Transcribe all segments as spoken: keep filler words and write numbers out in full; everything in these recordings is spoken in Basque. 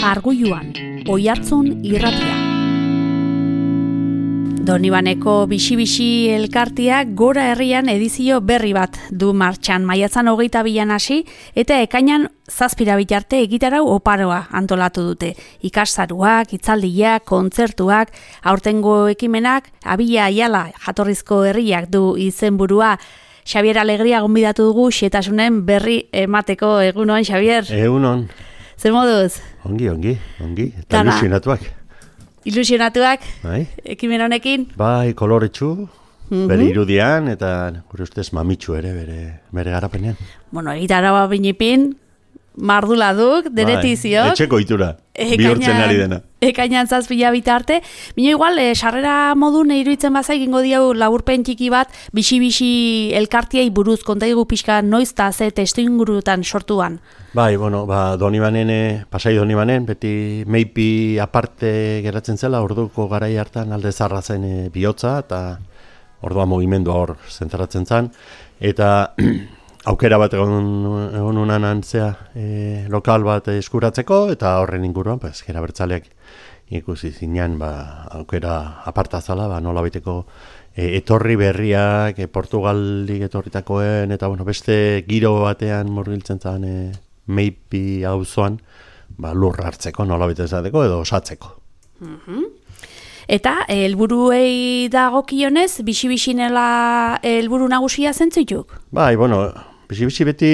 Arguluan, Oihartzun irratia. Donibaneko bixi-bixi elkarteak Gora Herrian edizio berri bat du martxan. Maiatzan hogeita bilan hasi eta ekainan zazpira bitarte egitarau oparoa antolatu dute. Ikastaruak, hitzaldiak, kontzertuak, aurtengo ekimenak, Abila Aiala jatorrizko herriak du izenburua. Xabier Alegria gonbidatu dugu xetasunen berri emateko. Egunon, Xabier? Egunon. Zer moduz? Ongi, ongi, ongi. Eta ilusionatuak. Ilusionatuak? Bai. Ekimen honekin? Bai, koloretsu, Mhm. bere irudian, eta gure ustez mamitsu ere, bere, bere garapenean. Bueno, egitaraua binipin, mardula duk, denetizio. Bai, etxeko itura, bihurtzen ari dena. Ekainan zazpila bitarte. Bino igual, eh, sarrera modun iruditzen baza egingo diau laburpen txiki bat, bixi-bixi elkartiei buruz, kontaigu pixka noiz eta ze testu ingurutan sortuan. Bai, bueno, ba, Donibanen, eh, pasai Donibanen, beti meipi aparte geratzen zela, orduko garai hartan alde zarra zen eh, bihotza, eta ordua mugimendua hor zentratzen zen, eta aukera bat egon, egon unan antzea e, lokal bat eskuratzeko, eta horren inguruan, pues, Ezker Abertzaleak ikusi zinean, ba, aukera aparta zala, ba, nola baiteko e, etorri berriak, e, Portugaldik etorritakoen, eta bueno, beste giro batean murgiltzen zen e, meipi auzoan, ba, lur hartzeko, nola baita esateko, edo osatzeko. Mhm. Eta helburuei dagokionez, bixi-bixinela helburu nagusia zentzutuk? Bai, bueno, bixi-bixi beti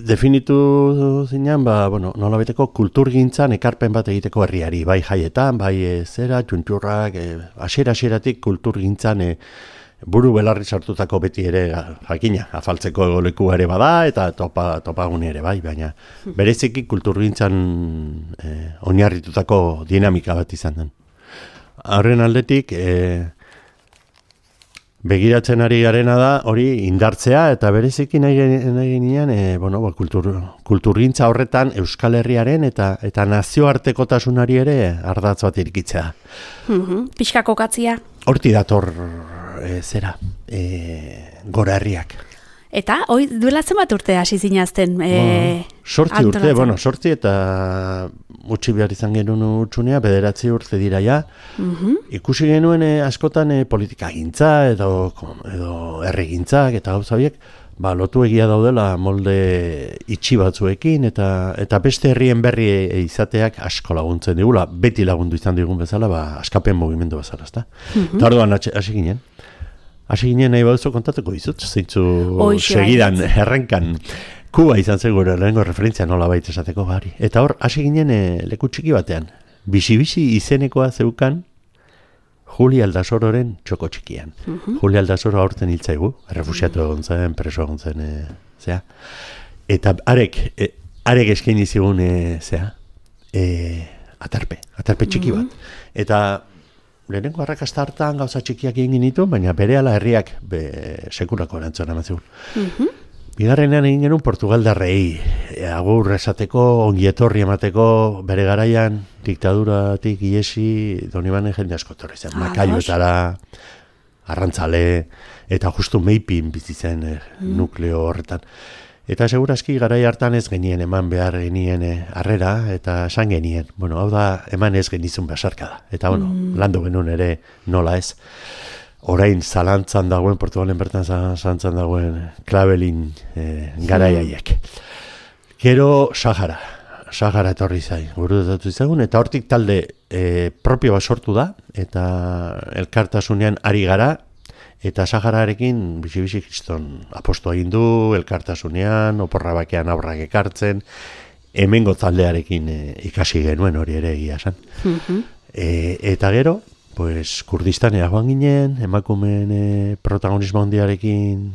definitu zinean, ba, bueno, nola baiteko kulturgintzan ekarpen bat egiteko herriari, bai jaietan, bai e, zera, txuntxurrak, e, asiera-asieratik kulturgintzan e, buru belarri sartutako beti ere jakina, afaltzeko leku ere bada, eta topa, topagune ere bai, baina bereziki kulturgintzan e, oinarritutako dinamika bat izan den. Horren aldetik, e, begiratzen ari garena da, hori indartzea, eta bereziki nahi ginean, e, bueno, ba, kultur, kulturgintza horretan Euskal Herriaren eta eta nazioartekotasunari ere ardatz bat irikitzea. Mhm. Pixka kokatzia. Horti dator e, zera, e, Gora Herriak. Eta, hoi, duela zenbat urte hasi zinazten? E, sortzi urte, bueno, sortzi eta utzi behar izan genuen utxunea, bederatzi urte dira ja. Mhm. Ikusi genuen e, askotan e, politika gintza edo, edo herrigintzak eta gauza horiek, ba, lotu egia daudela molde itxi batzuekin eta eta beste herrien berri e, izateak asko laguntzen digula, beti lagundu izan digun bezala, ba, askapen mugimendu bezala, ezta? Mhm. Eta orduan hasi ginen. Hasi ginen nahi baduzu kontatuko dizut, zeintzu Hoxe, segidan, bai. errenkan. Kuba izan zen gure lehenengo referentzia nola baita esateko bari. Eta hor, hasi ginen e, leku txiki batean. Bixi-bixi izenekoa zeukan Juli Aldasororen txoko txikian. Mhm. Juli Aldasoro aurten hiltzaigu, errefusiatu egon zen, preso egon zen, e, zea. Eta arek, e, arek eskaini zigun, e, zea, e, atarpe, atarpe txiki bat. Eta lehenengo arrakasta hartan gauza txikiak egin ditu, baina berehala herriak be, sekulako erantzuna emazigun. Mhm. Bigarrenean egin genuen Portugaldarrei agur esateko, ongi etorri emateko, bere garaian diktaduratik iesi Donibanen jende asko etorri zen. Ah, Makaiotara, Arrantzale, eta justu meipin bizi zen eh, nukleo horretan. Eta segurazki garai hartan ez genien eman behar genien eh, harrera, eta esan genien. Bueno, hau da, eman ez genizun basarka da. Eta bueno, landu genuen ere nola ez. Orain zalantzan dagoen, Portugalen bertan zalantzan dagoen klabelin eh, garaiaiek. Gero Sahara. Sahara etorri zain, gurutatu izagun, eta hortik talde eh, propio bat sortu da, eta elkartasunean ari gara, eta Sahararekin bizi-bizi kriston aposto egin du, elkartasunean, oporra bakean aurrak ekartzen, hemengo taldearekin e, ikasi genuen hori ere egia esan. Mhm. E, eta gero, pues, Kurdistanea joan ginen, emakumeen e, protagonismo handiarekin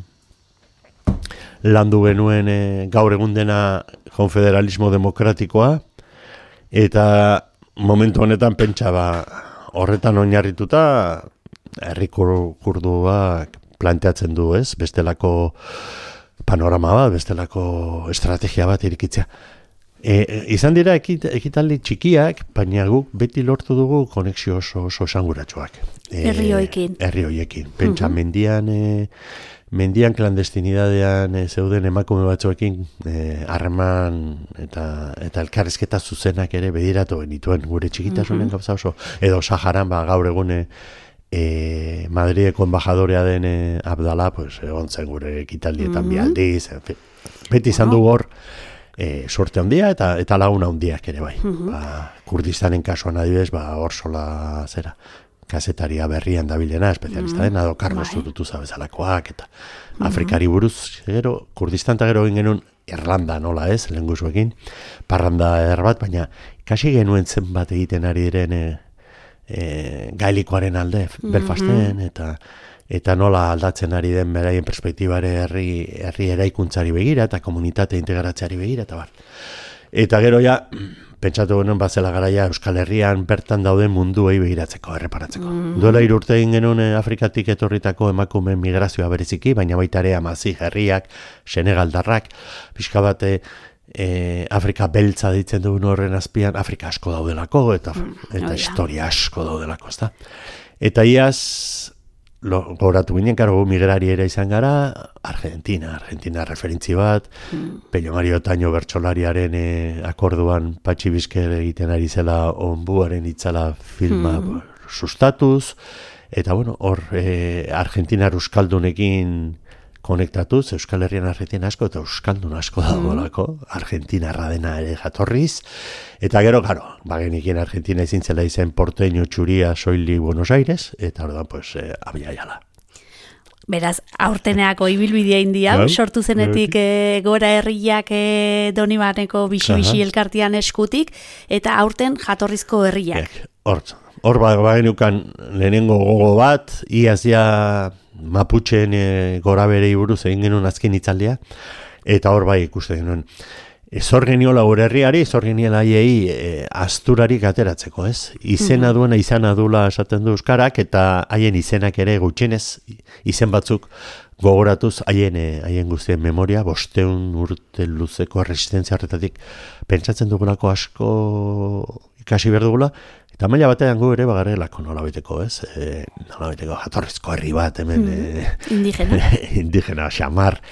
landu genuen e, gaur egun dena konfederalismo demokratikoa, eta momentu honetan pentsa ba, horretan oinarrituta, herri kurduak planteatzen du, ez? Bestelako panorama bat, bestelako estrategia bat irikitzea. E, e, izan dira ekit, ekitaldi txikiak, baina guk beti lortu dugu konexio oso, oso esanguratsuak. Herri hoiekin. Herri hoiekin. Pentsa mendian e, mendian klandestinidadean e, zeuden emakume batzuekin harreman e, eta eta elkarrizketa zuzenak ere bediratu genituen gure txikitasunen mm-hmm. gauza oso, edo Saharan ba, gaur egune e, Madrideko embajadorea den e, Abdala, pues, egon zen gure ekitaldietan mm-hmm. bialdiz, en fin. Beti izan du hor e, sorte handia eta eta laguna handiak ere bai. Mm-hmm. Ba, Kurdistanen kasuan adibidez, ba, hor sola zera, kasetaria berrian dabilena, espezialista dena, do Carlos Zurutuza bezalakoak, eta mm-hmm. Afrikari buruz, gero, Kurdistan eta gero egin genuen Irlanda nola ez, lehenguzuekin, parranda eder bat, baina kasi genuen zenbat egiten ari diren e, e, gailikoaren alde, mm-hmm. Belfasten, eta eta nola aldatzen ari den beraien perspektibare herri, herri eraikuntzari begira, eta komunitate integratzeari begira, eta bar. Eta gero ja, pentsatu genuen bazela garaia Euskal Herrian bertan dauden munduei begiratzeko, erreparatzeko. Mm. Duela hiru urte egin genuen Afrikatik etorritako emakumeen migrazioa bereziki, baina baita ere Amazi herriak, Senegaldarrak, pixka bate e, Afrika beltza ditzen duen horren azpian, Afrika asko daudelako, eta, mm. eta oh, historia asko daudelako, ezta? Eta iaz, lo, goratu ginen, karo, migrari ere izan gara, Argentina, Argentina referentzi bat, mm. Pello Mario Taño bertsolariaren e, akorduan Patxi Bizker egiten ari zela onbuaren itzala filma mm. sustatuz, eta bueno, hor e, Argentinar euskaldunekin konektatuz, Euskal Herrian Argentina asko eta euskaldun asko dagoelako, mm. Argentinarra dena ere jatorriz, eta gero, garo, bagenikien Argentina izin zela izen porteño txuria soili Buenos Aires, eta orduan, pues, eh, abia jala. Beraz, aurteneako ibilbidea india, yeah, sortu zenetik yeah. e, gora herriak e, Donibaneko bixi-bixi elkartian eskutik, eta aurten jatorrizko herriak. Hor, hor bagenukan lehenengo gogo bat, iazia Mapucheen e, gora berei buruz egin genuen azken hitzaldia, eta hor bai ikusten genuen. Zor geniola gure herriari, zor geniela haiei e, asturarik ateratzeko, ez? Izena duena izana dula esaten du euskarak, eta haien izenak ere gutxienez, izen batzuk gogoratuz haien, e, haien guztien memoria, bosteun urte luzeko resistentzia horretatik pentsatzen dugulako asko ikasi behar dugula, eta maila batean gu ere bagarelako nola beteko, ez? E, nola beteko jatorrizko herri bat, hemen... Mm, e, indigena. indigena, xamar...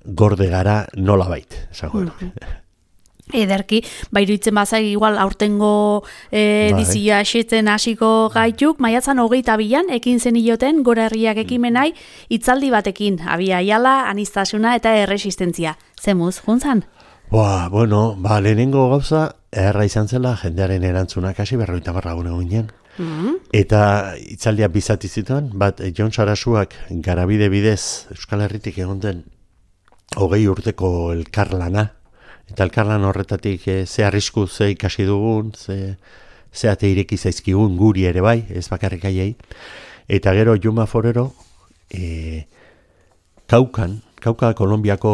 gorde gara nola bait, esango mm-hmm. Ederki, bairuitzen bazai igual aurtengo e, edizioa esetzen hasiko gaituk, maiatzan hogeita bilan, ekin zenioten gora herriak ekimenai, hitzaldi batekin, abia jala, anistasuna eta erresistentzia. Zemuz, juntzan? Ba, bueno, ba, lehenengo gauza, erra izan zela, jendearen erantzunak hasi berroita barra gune ginen. Mm-hmm. Eta hitzaldia bizati zituen, bat, Jon Sarasuak garabide bidez Euskal Herritik egon den hogei urteko elkarlana, eta elkarlan horretatik e, ze arrisku ze ikasi dugun, ze, ze ate ireki zaizkigun guri ere bai, ez bakarrik aiei. Eta gero Juma Forero, e, Kaukan, Kauka Kolombiako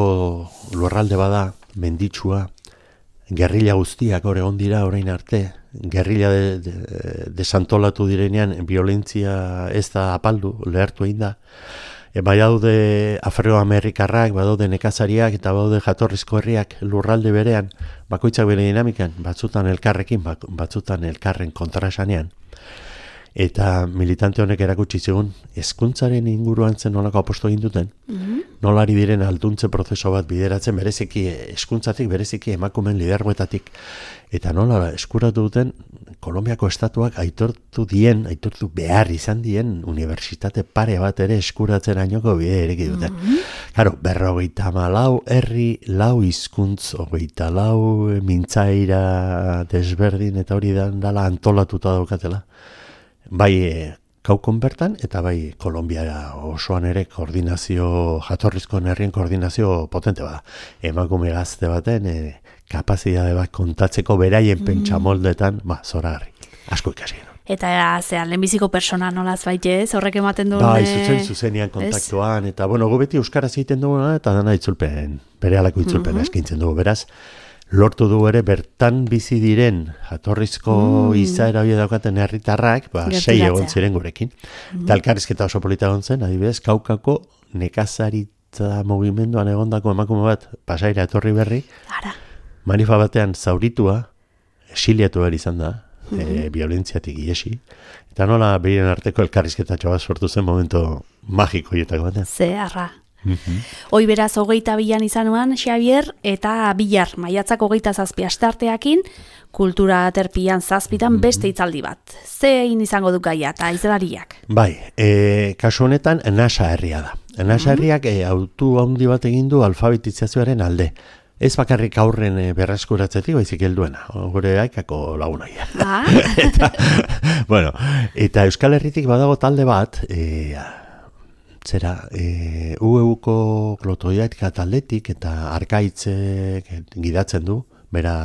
lurralde bada, menditsua, gerrilla guztiak hor egon dira orain arte, gerrilla de, de, desantolatu direnean, violentzia ez da apaldu, lehertu egin da. E, bai daude afroamerikarrak, badaude nekazariak eta badaude jatorrizko herriak lurralde berean, bakoitzak bere dinamikan, batzutan elkarrekin, batzutan elkarren kontraesanean. Eta militante honek erakutsi zigun, hezkuntzaren inguruan zen nolako aposto egin duten, mm-hmm. nolari diren alduntze prozeso bat bideratzen bereziki, hezkuntzatik bereziki emakumen lidergoetatik, eta nola eskuratu duten, Kolombiako estatuak aitortu dien, aitortu behar izan dien, unibertsitate pare bat ere eskuratzen ainoko bide ereki duten. Mm-hmm. Karo, berrogeita malau herri, lau hizkuntz, hogeita lau mintzaira desberdin, eta hori dala antolatuta daukatela. Bai e, Kaukon bertan, eta bai Kolombia osoan ere koordinazio, jatorrizko herrien koordinazio potente bada. Emakume gazte baten, e, kapazidade bat kontatzeko beraien mm. pentsamoldetan, ba, zoragarri, asko ikasi. Eta zean, lehenbiziko persona nolaz baite ez, horrek ematen duen... Bai, zuzen, zuzenian kontaktuan, eta bueno, gu beti euskaraz egiten duguna, eta dana itzulpen, bere alako itzulpen mm-hmm. eskintzen dugu, beraz, lortu du ere bertan bizi diren jatorrizko mm. izaera hori daukaten herritarrak, ba, sei egon ziren gurekin. Mm. Eta elkarrizketa oso polita egon zen, adibidez, Kaukako nekazaritza mugimenduan egondako emakume bat pasaira etorri berri, Ara. Manifa batean zauritua, exiliatu behar izan da, mm-hmm. e, violentziatik iesi, eta nola behiren arteko elkarrizketatxo bat sortu zen momento magiko hietako batean. Zeharra. Mm-hmm. Hoi beraz, hogeita bilan izanuan, Xavier, eta Bilar, maiatzak hogeita zazpi astarteakin, kultura aterpian zazpitan mm-hmm. beste hitzaldi bat. Zein izango du gaia eta izlariak? Bai, e, kasu honetan, Nasa herria da. Nasa herriak mm-hmm. e, autu handi bat egin du alfabetizazioaren alde. Ez bakarrik aurren e, berreskuratzetik, baizik helduena. Gure aikako lagunaia. Ah. eta, bueno, eta Euskal Herritik badago talde bat, e, zera, e, U E-ko klotoiatika taldetik eta arkaitzek gidatzen du, bera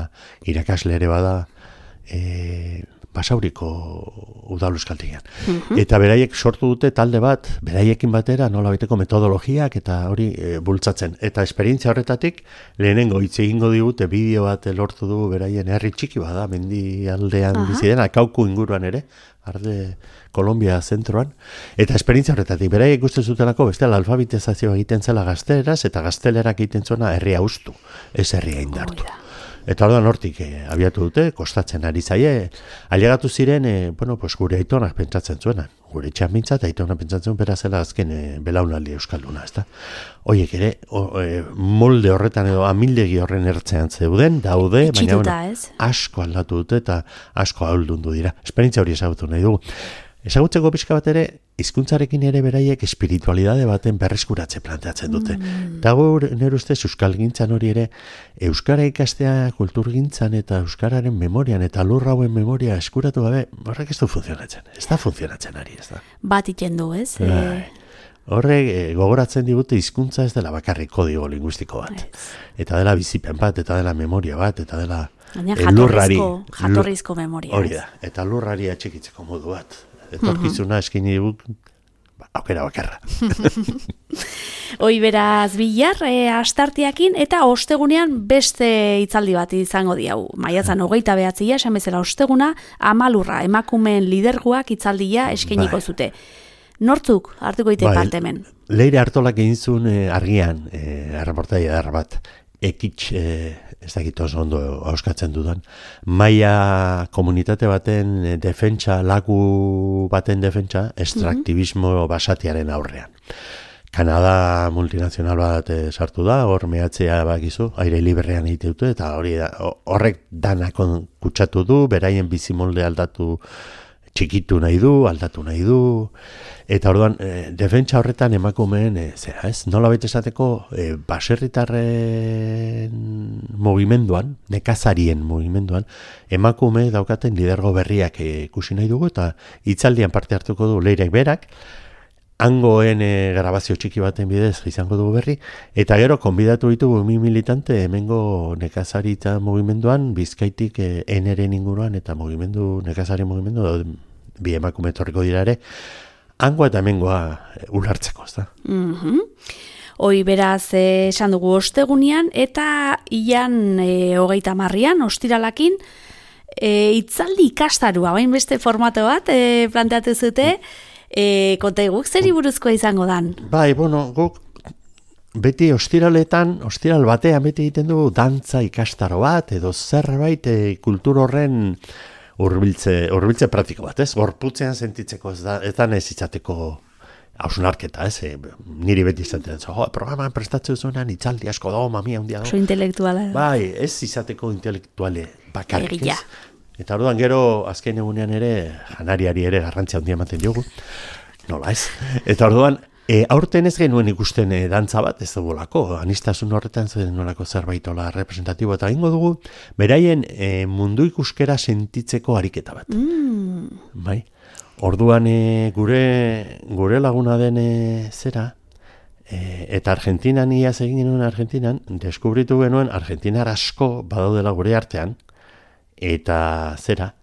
irakasle ere bada, e, Basauriko udal euskaltegian. Mm-hmm. Eta beraiek sortu dute talde bat, beraiekin batera nola baiteko metodologiak eta hori e, bultzatzen. Eta esperientzia horretatik lehenengo hitz egingo digute bideo bat lortu du beraien herri txiki bada, mendi aldean uh-huh. bizi dena, Kauku inguruan ere, arde Kolombia zentroan. Eta esperientzia horretatik beraiek uste zutelako bestela alfabetizazioa egiten zela gazteleraz eta gaztelerak egiten zuena herria ustu, ez herria indartu. Oh, Eta orduan hortik eh, abiatu dute, kostatzen ari zaie, ailegatu ziren, eh, bueno, pues gure aitonak pentsatzen zuena, gure etxean bintzat, aitonak pentsatzen bera zela azken eh, belaunaldi euskalduna, ezta? Oiek ere, o, eh, molde horretan edo amildegi horren ertzean zeuden, daude, baina bueno, asko aldatu dute eta asko ahaldundu dira. Esperientzia hori ezagutu nahi dugu. Ezagutzeko pixka bat ere, hizkuntzarekin ere beraiek espiritualidade baten berreskuratze planteatzen dute. Mm. Dago nire ustez euskalgintzan hori ere, euskara ikastea kulturgintzan eta euskararen memorian eta lurrauen memoria eskuratu gabe, horrek ez du funtzionatzen. Ez da funtzionatzen ari, ez da. Bat iten du, ez? E... Horrek e, gogoratzen digute hizkuntza ez dela bakarrik kodigo linguistiko bat. Ez. Eta dela bizipen bat, eta dela memoria bat, eta dela e, lurrari. Jatorrizko memoria. Hori da, eta lurrari atxikitzeko modu bat. Etorkizuna eskini dut, aukera bakarra. Hoi beraz Bilar, e, astartiakin, eta ostegunean beste hitzaldi bat izango diau. Maiatzan hogeita behatzia, esan bezala osteguna, Amalurra, emakumeen liderguak hitzaldia eskeniko bai. Zute. Nortzuk hartuko ite bai, parte hemen? Leire Artolak egin zuen e, argian, e, erreportaia edar bat, ekitx, e, ez dakit oso ondo auskatzen dudan, maia komunitate baten defentsa, lagu baten defentsa, estraktibismo mm-hmm. basatiaren aurrean. Kanada multinazional bat sartu da, hor mehatzea bakizu, aire liberrean egite dute, eta hori da, horrek danak kutsatu du, beraien bizimolde aldatu txikitu nahi du, aldatu nahi du, eta orduan, e, defentsa horretan emakumeen, e, zera ez, nola baita esateko, e, baserritarren mugimenduan, nekazarien mugimenduan, emakume daukaten lidergo berriak e, ikusi nahi dugu, eta hitzaldian parte hartuko du Leirek berak, hangoen e, grabazio txiki baten bidez izango dugu berri, eta gero konbidatu ditugu mi militante hemengo nekazaritza mugimenduan, Bizkaitik e, eneren inguruan, eta mugimendu, nekazari mugimendu, bi emakume etorriko dira ere, hangoa eta hemengoa e, ulartzeko, ez da? Mhm. Hoi beraz eh, esan dugu ostegunean, eta ilan e, hogeita marrian, ostiralakin, e, itzaldi ikastarua, bain beste formato bat e, planteatu zute, E, konta guk zer buruzkoa izango dan? Bai, bueno, guk beti ostiraletan, ostiral batean beti egiten dugu dantza ikastaro bat, edo zerbait e, kultur horren hurbiltze, hurbiltze praktiko bat, ez? Gorputzean sentitzeko ez da, ez da ez izateko hausnarketa, ez? E, niri beti izaten, jo, programan prestatzen zuenan itzaldi asko dago, mamia hundia dago. Oso intelektuala. Bai, ez izateko intelektuale bakarrik, ez? Eta orduan gero azken egunean ere janariari ere garrantzia handia ematen diogu. Nola ez? Eta orduan e, aurten ez genuen ikusten e, dantza bat, ez dugulako, anistasun horretan zen nolako zerbaitola representatibo eta ingo dugu, beraien e, mundu ikuskera sentitzeko ariketa bat. Mm. Bai? Orduan e, gure, gure laguna den e, zera, e, eta Argentinan iaz egin genuen Argentinan, deskubritu genuen Argentinar asko badaudela gure artean, eta zera,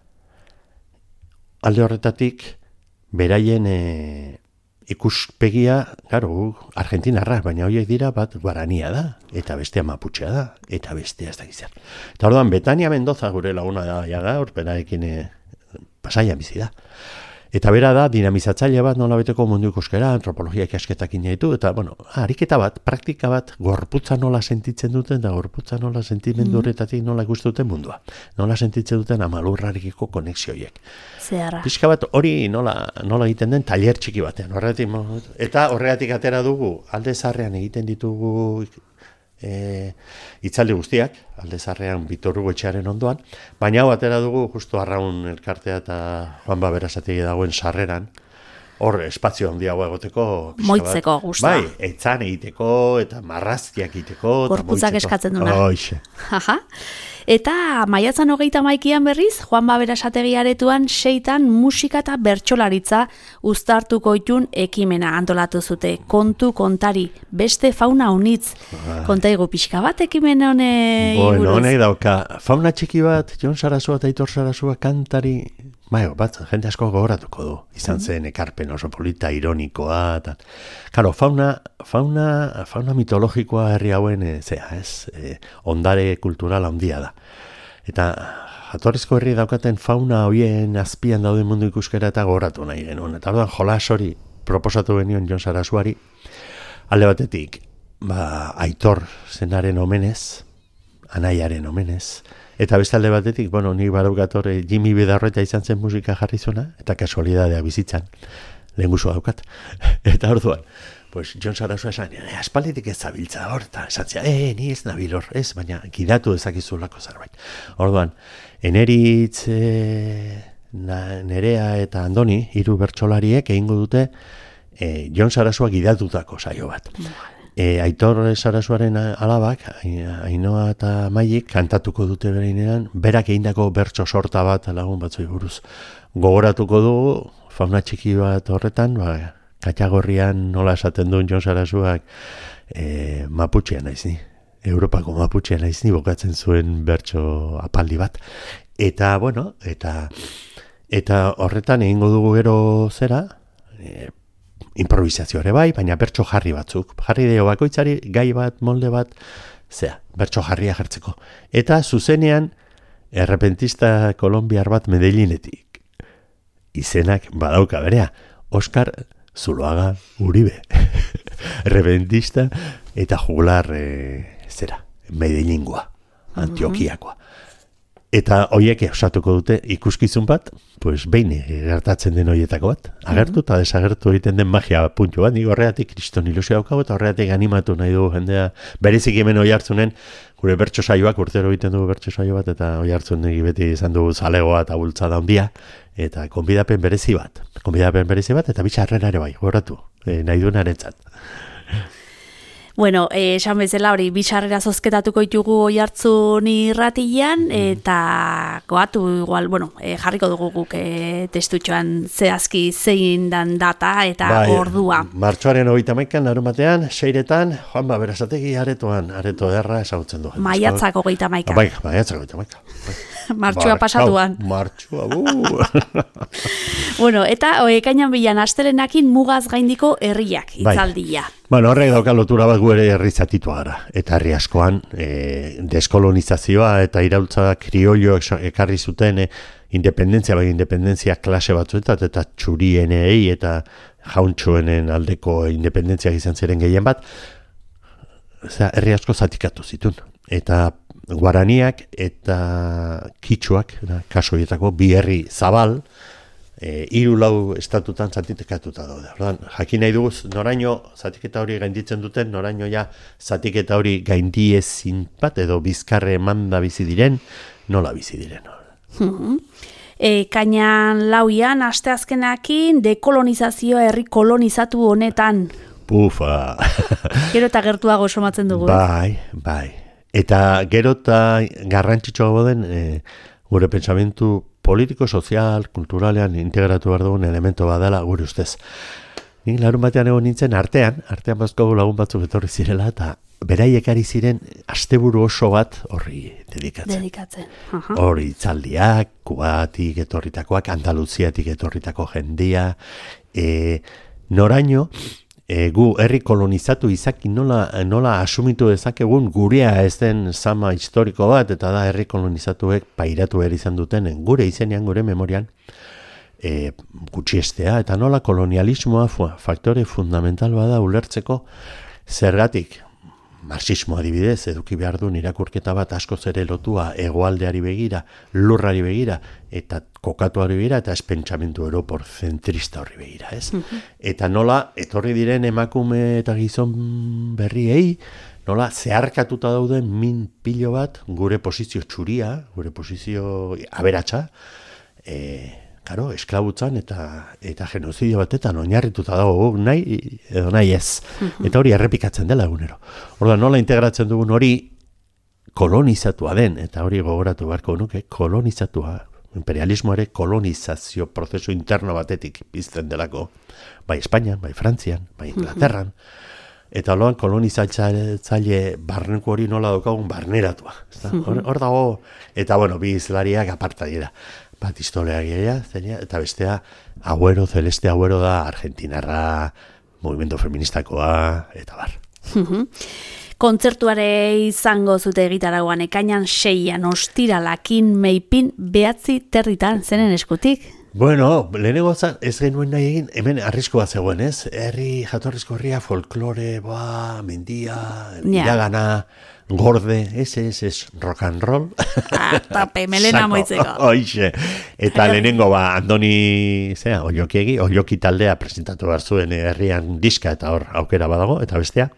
alde horretatik, beraien e, ikuspegia, garo, argentinarra, baina horiek dira bat guarania da, eta bestea maputxea da, eta bestea ez da gizar. Eta orduan, Betania Mendoza gure laguna da, jaga, hor beraekin e, Pasaian bizi da. Eta bera da, dinamizatzaile bat nola beteko mundu ikuskera, antropologia ikasketak ditu, eta, bueno, ariketa bat, praktika bat, gorputza nola sentitzen duten, da gorputza nola sentimendu horretatik nola ikusten duten mundua. Nola sentitzen duten amalurrarekiko konexioiek. Zeharra. Pixka bat hori nola, nola egiten den tailer txiki batean. Horregatik, eta horregatik atera dugu, alde zaharrean egiten ditugu E, itzaldi guztiak, alde zarrean Bitor Hugo etxearen ondoan, baina hau atera dugu justu Arraun elkartea eta Juan Baberasategi dagoen sarreran, hor espazio handiagoa egoteko moitzeko gusta. Bai, etzan egiteko eta marrazkiak egiteko gorputzak eskatzen duna. Hoixe. Aha. Eta maiatzan hogeita maikian berriz, Juan Baberasategi aretuan seitan musika eta bertsolaritza uztartuko itun ekimena antolatu zute. Kontu kontari, beste fauna unitz. Ah. Kontaigu pixka bat ekimen hone bueno, iguruz. Honek dauka, fauna txiki bat, Jon Sarasua eta Aitor Sarasua kantari, bai, bat, jende asko gogoratuko du. Izan zen ekarpen oso polita, ironikoa, eta... Karo, fauna, fauna, fauna mitologikoa herri hauen, e, zea, ez, e, ondare kultural handia da. Eta jatorrizko herri daukaten fauna hoien azpian dauden mundu ikuskera eta gogoratu nahi genuen. Eta orduan jolas hori proposatu genion Jon Sarasuari, alde batetik, ba, Aitor zenaren omenez, anaiaren omenez, eta beste alde batetik, bueno, nik badaukator Jimmy Bidarroeta izan zen musika jarri zuena, eta kasualidadea bizitzan, lehen guzua daukat. Eta orduan, pues Jon Sarasua esan, e, aspalditik ez zabiltza hor, eta esatzea, e, ni ez nabil hor, ez, baina gidatu ezakizulako zerbait. Orduan, Eneritz, e, na, Nerea eta Andoni, hiru bertsolariek egingo dute e, Jon Sarasua gidatutako saio bat. E, Aitor Sarasuaren alabak, Ainhoa eta Maiek, kantatuko dute bereinean, berak egindako bertso sorta bat lagun batzui buruz. Gogoratuko dugu, fauna txiki bat horretan, ba, Katxagorrian nola esaten duen Jon Sarasuak e, Maputxean naiz ni, Europako Maputxean naiz ni, bokatzen zuen bertso apaldi bat. Eta, bueno, eta, eta horretan egingo dugu gero zera, e, improvisazio ere bai, baina bertso jarri batzuk. Jarri dio bakoitzari gai bat, molde bat, zea, bertso jarria jartzeko. Eta zuzenean, errepentista kolombiar bat Medellínetik. Izenak badauka berea, Oskar Zuloaga Uribe. Errepentista eta jugular e, zera, Medellingua, Antioquiakoa. Eta hoiek osatuko dute ikuskizun bat, pues behin gertatzen den hoietako bat. Agertu eta desagertu egiten den magia puntu bat. Nik horregatik kriston ilusio daukago eta horregatik animatu nahi dugu jendea. Berezik hemen oi hartzunen, gure bertso saioak, urtero egiten dugu bertso saio bat, eta oi hartzun beti izan dugu zalegoa eta bultzada handia. Eta konbidapen berezi bat. Konbidapen berezi bat eta bitxarrera ere bai, goratu, e, nahi duen arentzat. Bueno, eh, esan bezala hori, bisarrera zozketatuko ditugu Oihartzun irratian, eta goatu igual, bueno, eh, jarriko dugu guk eh, testutxoan zehazki zein dan data eta bai, ordua. Martxoaren hogeita hamaikan, larunbatean, seiretan, Juan Baberasategi aretoan, areto erra ezagutzen du. Maiatzak hogeita hamaika. Bai, maiatzak hogeita hamaika. Martxua pasatuan. Martxua, uh. Bueno, eta ekainan bilan astelenakin mugaz gaindiko herriak, itzaldia. Bai. Bueno, horrek dauka lotura bat gu ere herri zatitua gara. Eta herri askoan, e, deskolonizazioa eta iraultza kriollo ekarri zuten e, independentzia, bai independentzia klase batzuetat, eta txurienei eta jauntxoenen aldeko independentziak izan ziren gehien bat, Osea, herri asko zatikatu zituen. Eta guaraniak eta kitxuak, kaso horietako, bi herri zabal, e, hiru lau estatutan zatitekatuta daude. Ordan, jakin nahi dugu, noraino zatiketa hori gainditzen duten, noraino ja zatiketa hori gaindiezin bat, edo bizkarre emanda bizi diren, nola bizi diren. Hmm. E, kainan lauian, asteazkenakin, dekolonizazioa herri kolonizatu honetan. Pufa! Gero eta gertuago somatzen dugu. Bai, bai. Eta gero eta garrantzitsuago den e, gure pentsamentu politiko, sozial, kulturalean integratu behar dugun elemento badala gure ustez. Nik larun batean egon nintzen artean, artean bazkogu lagun batzuk etorri zirela, eta beraiek ari ziren asteburu oso bat horri dedikatzen. Dedikatzen. Hori itzaldiak, Kubatik etorritakoak, Andaluziatik etorritako jendia, e, noraino, E, gu herri kolonizatu izaki nola, nola asumitu dezakegun gurea ez den zama historiko bat, eta da herri kolonizatuek pairatu behar izan duten gure izenean, gure memorian. e, gutxiestea, eta nola kolonialismoa faktore fundamental bada ulertzeko zergatik. Marxismo adibidez, eduki behar du irakurketa bat askoz ere lotua hegoaldeari begira, lurrari begira, eta kokatuari begira, eta ez pentsamendu europor zentrista horri begira, ez? Mm-hmm. Eta nola, etorri diren emakume eta gizon berriei, nola, zeharkatuta dauden min pilo bat, gure posizio txuria, gure posizio aberatsa, e, Karo, esklabutzan eta eta genozidio batetan oinarrituta dago nahi edo nahi ez. Eta hori errepikatzen dela egunero. Orduan, nola integratzen dugun hori kolonizatua den, eta hori gogoratu beharko nuke, kolonizatua, imperialismoare kolonizazio prozesu interno batetik pizten delako, bai Espainian, bai Frantzian, bai Inglaterran, eta orduan kolonizatzaile barneko hori nola daukagun barneratua. Hor, hor dago, eta bueno, bi izlariak aparta dira. Bat historia gehiagia, eta bestea Agüero, Celeste Agüero da argentinarra, movimiento feministakoa, eta bar. Kontzertuare izango zute egitaragoan ekainan seian ostiralakin meipin behatzi territan zenen eskutik? Bueno, lehenengo ez genuen nahi egin, hemen arrisku bat zegoen, ez? Herri, jatorrizko herria, folklore, ba, mendia, iragana, gorde, ez, ez, ez, rock and roll. Ah, tape, melena moitzeko. Oixe. Eta lehenengo, ba, Andoni, zera, Ollokiegi, Olloki taldea presentatu behar zuen herrian diska, eta hor aukera badago, eta bestea,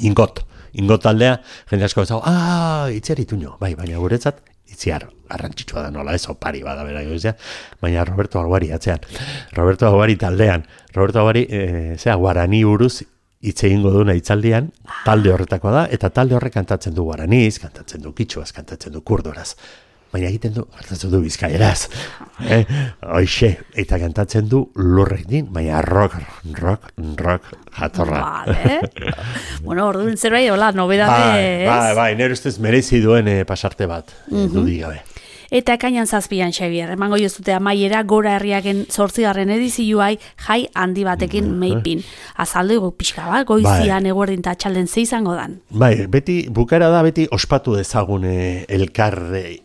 Ingot. Ingot taldea, jende asko bezago, ah, itziar ituño, bai, baina guretzat, itziar, arrantzitsua da nola, ez opari bada bera gozia, baina Roberto Aguari atzean, Roberto Aguari taldean, Roberto Aguari, e, zera, guarani buruz, hitz egingo duna hitzaldian, talde horretakoa da, eta talde horrek kantatzen du guaraniz, kantatzen du kitxuaz, kantatzen du kurdoraz, baina egiten du, kantatzen du bizkaieraz, eh? Hoxe, eta kantatzen du lurrek din, baina rock, rock, rock, jatorra. Vale. Bueno, orduan zerbait, hola, nobedade ez? Bai, bai, nire ustez merezi duen eh, pasarte bat, mm-hmm. dudik gabe. Eta ekainan zazpian, Xabier, emango jozute amaiera gora herriaken zortzigarren edizioai jai handi batekin meipin. Azaldu egu pixka bat, goizian bai. Eguerdin eta txalden ze izango dan. Bai, beti, bukara da beti ospatu dezagun eh, elkar,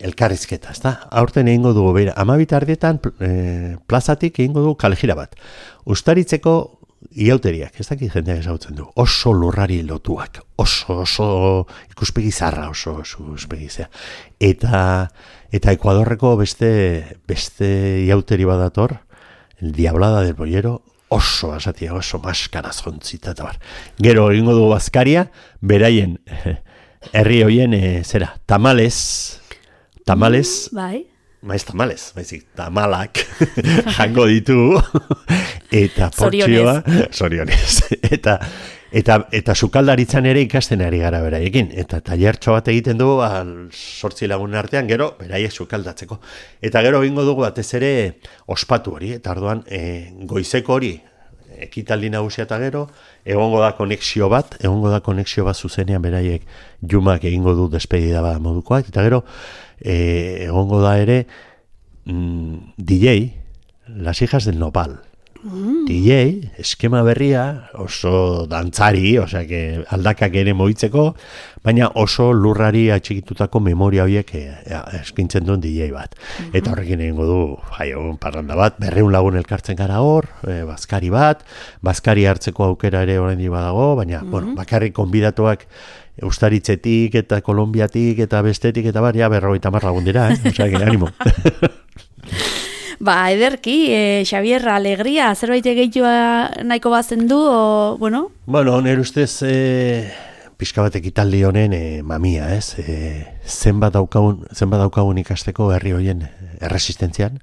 elkarrizketa, ezta? Aurten egingo dugu, beira, amabita ardietan eh, plazatik egingo dugu kalejira bat. Ustaritzeko iauteriak, ez dakit jendeak ezagutzen du, oso lurrari lotuak, oso, oso ikuspegi zarra, oso, oso ikuspegi zea. Eta, eta Ekuadorreko beste, beste iauteri badator, el Diablada del Boyero, oso asatia, oso maskaraz jontzita, eta bar. Gero egingo dugu bazkaria, beraien, herri hoien, e, zera, tamales, tamales, mm, bai. Maiz tamales, maizik, tamalak jango ditu, eta portzioa, sorionez, eta, eta, eta sukaldaritzan ere ikasten ari gara beraiekin, eta tailertxo bat egiten dugu, sortzi lagunen artean, gero, beraiek sukaldatzeko. Eta gero egingo dugu batez ere ospatu hori, eta orduan e, goizeko hori, ekitaldi nagusia eta gero, egongo da konexio bat, egongo da konexio bat zuzenean beraiek Jumak egingo du despedida bat modukoak, eta gero, E, egongo da ere mm, D J, Las hijas del nopal. Mm. D J, eskema berria, oso dantzari, osea que aldakak ere moitzeko, baina oso lurrari atxikitutako memoria horiek e, e, eskintzen duen D J bat. Mm-hmm. Eta horrekin egingo du, jai, un parranda bat, berreun lagun elkartzen gara hor, e, bazkari bat, bazkari hartzeko aukera ere oraindik badago, baina, mm-hmm. bueno, bakarrik konbidatuak Eustaritzetik eta Kolombiatik eta bestetik eta baria berrogeita hamar lagun dira, eh? Osea, que animo. Ba, ederki, eh, Xabier, alegria, zerbait gehiagoa nahiko bazen du, o, bueno? Bueno, nire ustez, eh, pixka bat ekitaldi honen eh, mamia, ez? Eh, zenbat daukagun, zenbat daukagun ikasteko herri hoien erresistentzian,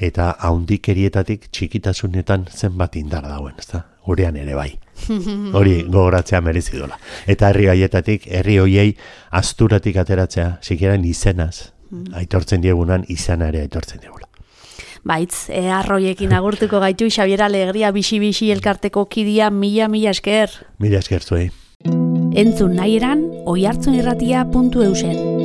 eta haundikerietatik txikitasunetan zenbat indar dauen, ez da? Gurean ere bai. Hori gogoratzea merezi dola. Eta herri haietatik, herri hoiei asturatik ateratzea, sikiera izenaz, aitortzen diegunan, izana ere aitortzen diegula. Baitz, e, arroiekin agurtuko gaitu, Xabier Alegria, bixi-bixi elkarteko kidia, mila-mila esker. Mila esker zuei. Entzun nahi eran, oihartzunirratia puntu eusen.